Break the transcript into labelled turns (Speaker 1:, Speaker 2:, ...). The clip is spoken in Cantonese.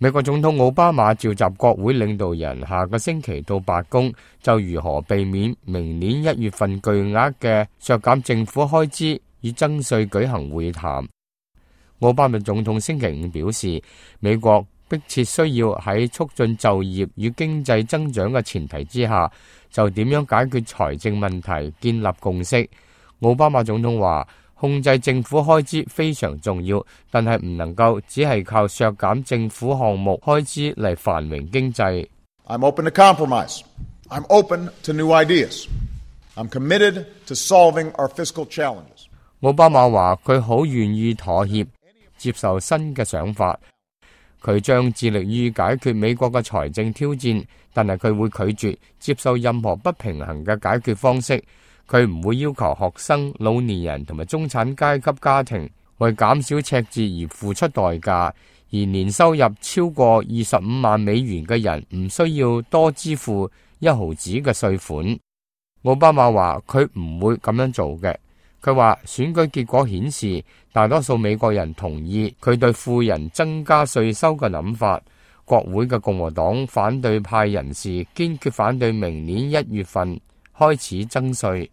Speaker 1: 美國總統奧巴馬召集國會領導人下個星期到白宮，就如何避免明年1月份巨額嘅削減政府開支與增稅舉行會談。奧巴馬總統星期五表示，美國迫切需要喺促進就業與經濟增長嘅前提之下，就點樣解決財政問題建立共識。奧巴馬總統話，控制政府開支非常重要，但係唔能夠只係靠削減政府項目開支嚟繁榮經濟。
Speaker 2: I'm open to compromise. I'm open to new ideas. I'm committed to solving our fiscal challenges.
Speaker 1: 奧巴馬話佢好願意妥協，接受新嘅想法。佢將致力於解決美國嘅財政挑戰，但係佢會拒絕接受任何不平衡嘅解決方式。佢唔會要求學生、老年人同埋中產階級家庭為減少赤字而付出代價，而年收入超過25萬美元嘅人唔需要多支付1毫子嘅稅款。奧巴馬話佢唔會咁樣做嘅。佢話選舉結果顯示，大多數美國人同意佢對富人增加稅收嘅諗法。國會嘅共和黨反對派人士堅決反對明年1月份開始增稅。